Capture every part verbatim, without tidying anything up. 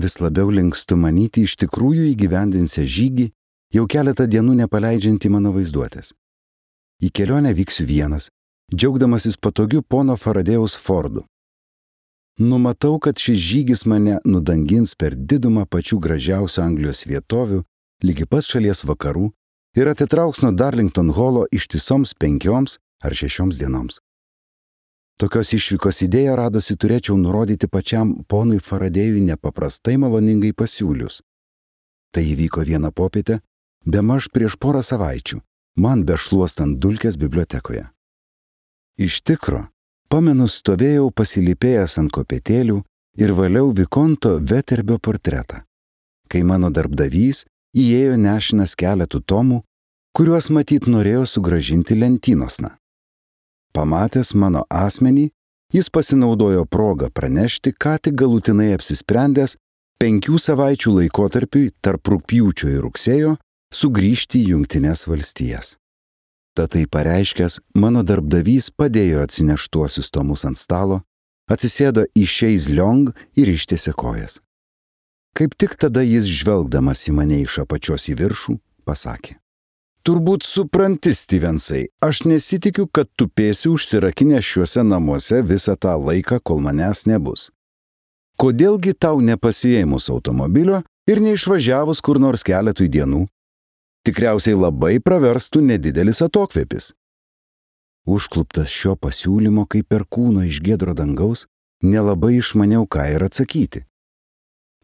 Vis labiau linkstu manyti iš tikrųjų įgyvendinsią žygį, jau keletą dienų nepaleidžiantį mano vaizduotės. Į kelionę vyksiu vienas, džiaugdamasis patogiu pono Faradėjaus Fordu. Numatau, kad šis žygis mane nudangins per didumą pačių gražiausių Anglijos vietovių, lygi pat šalies vakarų ir atitrauks nuo Darlington Holo ištisoms penkioms ar šešioms dienoms. Tokios išvykos idėją radosi turėčiau nurodyti pačiam ponui Faradėjui nepaprastai maloningai pasiūlius. Tai įvyko vieną popietę, bemaž prieš porą savaičių, man bešluostant dulkes bibliotekoje. Iš tikro, pamenu, stovėjau pasilypėjęs ant kopėtėlių ir valiau Vikonto Veterbio portretą, kai mano darbdavys įėjo nešinas keletų tomų, kuriuos matyt norėjo sugrąžinti lentynosna. Pamatęs mano asmenį, jis pasinaudojo progą pranešti, ką tik galutinai apsisprendęs penkių savaičių laikotarpiui tarp rugpjūčio ir rugsėjo sugrįžti į Jungtines valstijas. Tad tai pareiškęs, mano darbdavys padėjo atsineštuosius tomus ant stalo, atsisėdo į Chaise Longue ir ištiesė kojas. Kaip tik tada jis, žvelgdamas į mane iš apačios į viršų, pasakė: Turbūt supranti, Stevensai, aš nesitikiu, kad tupėsi užsirakinę šiuose namuose visą tą laiką, kol manęs nebus. Kodėlgi tau nepasiėmus automobilio ir neišvažiavus kur nors keletui dienų? Tikriausiai labai praverstų nedidelis atokvėpis. Užkluptas šio pasiūlymo kaip perkūno iš giedro dangaus, nelabai išmaniau ką ir atsakyti.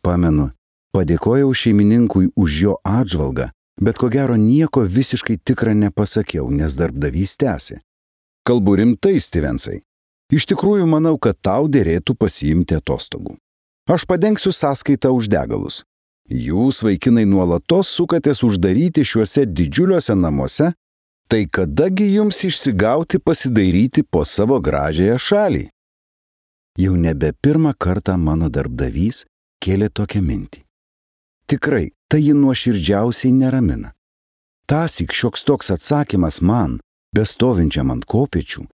Pamenu, padėkojau šeimininkui už jo atžvalgą, bet ko gero nieko visiškai tikrą nepasakiau, nes darbdavys tęsė: Kalbu rimtai, Stevensai. Iš tikrųjų manau, kad tau dėrėtų pasiimti atostogų. Aš padengsiu sąskaitą už degalus. Jūs, vaikinai, nuolatos sukatės uždaryti šiuose didžiuliuose namuose, tai kadagi jums išsigauti pasidairyti po savo gražiąją šalį? Jau nebe pirmą kartą mano darbdavys kėlė tokią mintį. Tikrai, tai jį nuoširdžiausiai neramina. Tąsyk šioks toks atsakymas man, bestovinčiam ant kopėčių,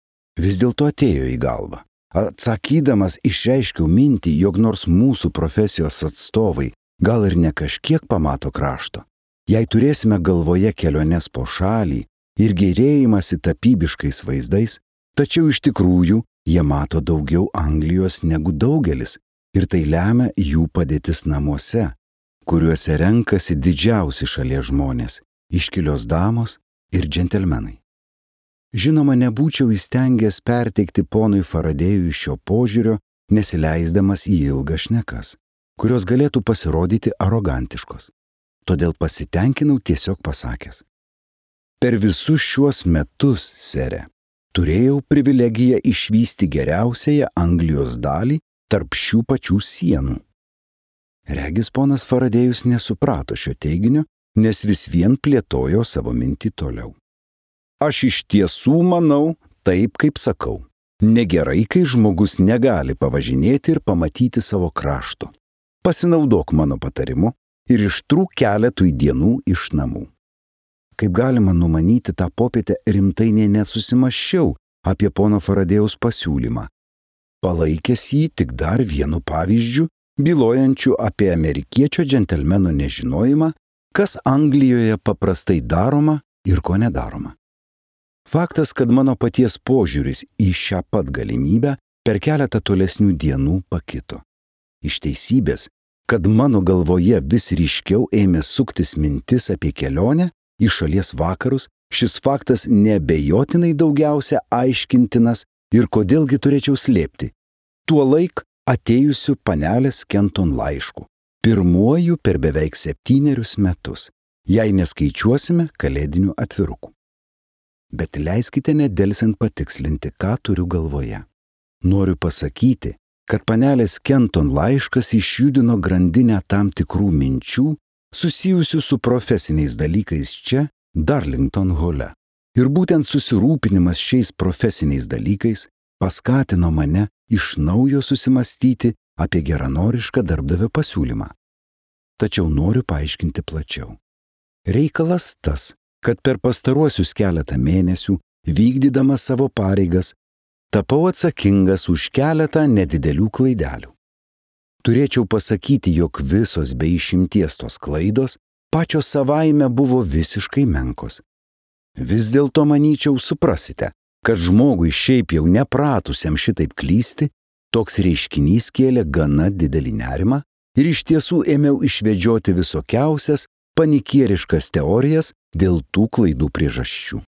vis dėlto atėjo į galvą. Atsakydamas išreiškiau mintį, jog nors mūsų profesijos atstovai gal ir ne kažkiek pamato krašto, jei turėsime galvoje keliones po šalį ir gėrėjimąsi tapybiškais vaizdais, tačiau iš tikrųjų jie mato daugiau Anglijos negu daugelis ir tai lemia jų padėtis namuose, kuriuose renkasi didžiausi šalies žmonės, iškilios damos ir džentelmenai. Žinoma, nebūčiau įstengęs perteikti ponui Faradėjui šio požiūrio, nesileisdamas į ilgas šnekas, kurios galėtų pasirodyti arogantiškos. Todėl pasitenkinau tiesiog pasakęs: Per visus šiuos metus, sere, turėjau privilegiją išvysti geriausiąją Anglijos dalį tarp šių pačių sienų. Regis ponas Faradėjus nesuprato šio teiginio, nes vis vien plėtojo savo mintį toliau. Aš iš tiesų manau, taip kaip sakau, negerai, kai žmogus negali pavažinėti ir pamatyti savo krašto. Pasinaudok mano patarimu ir ištrūk keletui dienų iš namų. Kaip galima numanyti, tą popietę rimtai nė nesusimąsčiau apie pono Faradėjaus pasiūlymą, palaikęs jį tik dar vienu pavyzdžiu, bylojančiu apie amerikiečio džentelmeno nežinojimą, kas Anglijoje paprastai daroma ir ko nedaroma. Faktas, kad mano paties požiūris į šią pat galimybę per keletą tolesnių dienų pakito. Iš teisybės, kad mano galvoje vis ryškiau ėmė suktis mintis apie kelionę į šalies vakarus, šis faktas neabejotinai daugiausia aiškintinas ir kodėlgi turėčiau slėpti. Tuo laik atėjusiu panelės Kenton laišku, pirmuoju per beveik septynerius metus, jei neskaičiuosime kalėdinių atvirukų. Bet leiskite nedelsiant patikslinti, ką turiu galvoje. Noriu pasakyti, kad panelės Kenton laiškas išjudino grandinę tam tikrų minčių susijusių su profesiniais dalykais čia, Darlington Hole. Ir būtent susirūpinimas šiais profesiniais dalykais paskatino mane iš naujo susimastyti apie geranorišką darbdavio pasiūlymą. Tačiau noriu paaiškinti plačiau. Reikalas tas, kad per pastaruosius keletą mėnesių, vykdydamas savo pareigas, tapau atsakingas už keletą nedidelių klaidelių. Turėčiau pasakyti, jog visos be išimties tos klaidos pačios savaime buvo visiškai menkos. Vis dėlto manyčiau suprasite, kad žmogui šiaip jau nepratusiam šitaip klysti, toks reiškinys kėlė gana didelį nerimą ir iš tiesų ėmiau išvedžioti visokiausias panikieriškas teorijas dėl tų klaidų priežasčių.